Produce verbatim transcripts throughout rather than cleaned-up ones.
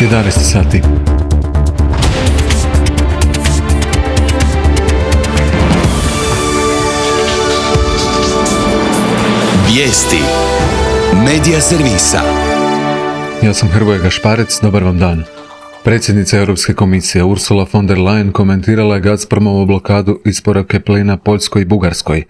jedanaest sati. Vijesti Medija servisa. Ja sam Hrvoje Gašparec, dobar vam dan. Predsjednica Europske komisije Ursula von der Leyen komentirala je Gazpromovu blokadu isporuke plina Poljskoj i Bugarskoj.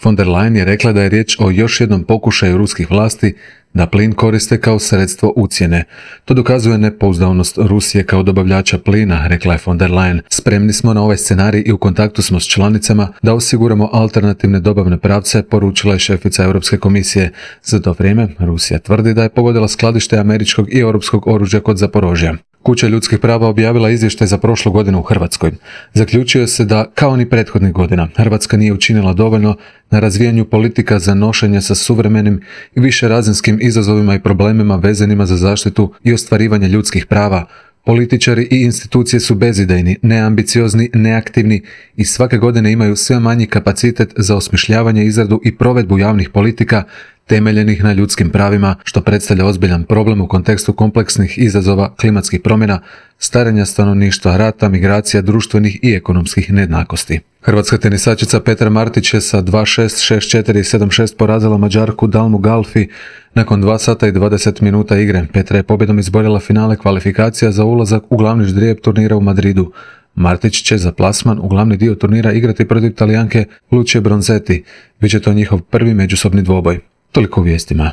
Von der Leyen je rekla da je riječ o još jednom pokušaju ruskih vlasti da plin koriste kao sredstvo ucjene. To dokazuje nepouzdavnost Rusije kao dobavljača plina, rekla je von der Leyen. Spremni smo na ovaj scenarij i u kontaktu smo s članicama da osiguramo alternativne dobavne pravce, poručila je šefica Europske komisije. Za to vrijeme Rusija tvrdi da je pogodila skladište američkog i europskog oružja kod Zaporožja. Kuća ljudskih prava objavila izvještaj za prošlu godinu u Hrvatskoj. Zaključuje se da, kao ni prethodnih godina, Hrvatska nije učinila dovoljno na razvijanju politika za nošenje sa suvremenim i višerazinskim izazovima i problemima vezanima za zaštitu i ostvarivanje ljudskih prava. Političari i institucije su bezidejni, neambiciozni, neaktivni i svake godine imaju sve manji kapacitet za osmišljavanje, izradu i provedbu javnih politika temeljenih na ljudskim pravima, što predstavlja ozbiljan problem u kontekstu kompleksnih izazova klimatskih promjena, starenja stanovništva, rata, migracija, društvenih i ekonomskih nejednakosti. Hrvatska tenisačica Petra Martić je sa dva šest, šest četiri i sedam šest porazila Mađarku Dalmu Galfi nakon dva sata i dvadeset minuta igre. Petra je pobjedom izborila finale kvalifikacija za ulazak u glavni ždrijeb turnira u Madridu. Martić će za plasman u glavni dio turnira igrati protiv Talijanke Lucie Bronzetti. Biće to njihov prvi međusobni dvoboj. Toliko u vijestima.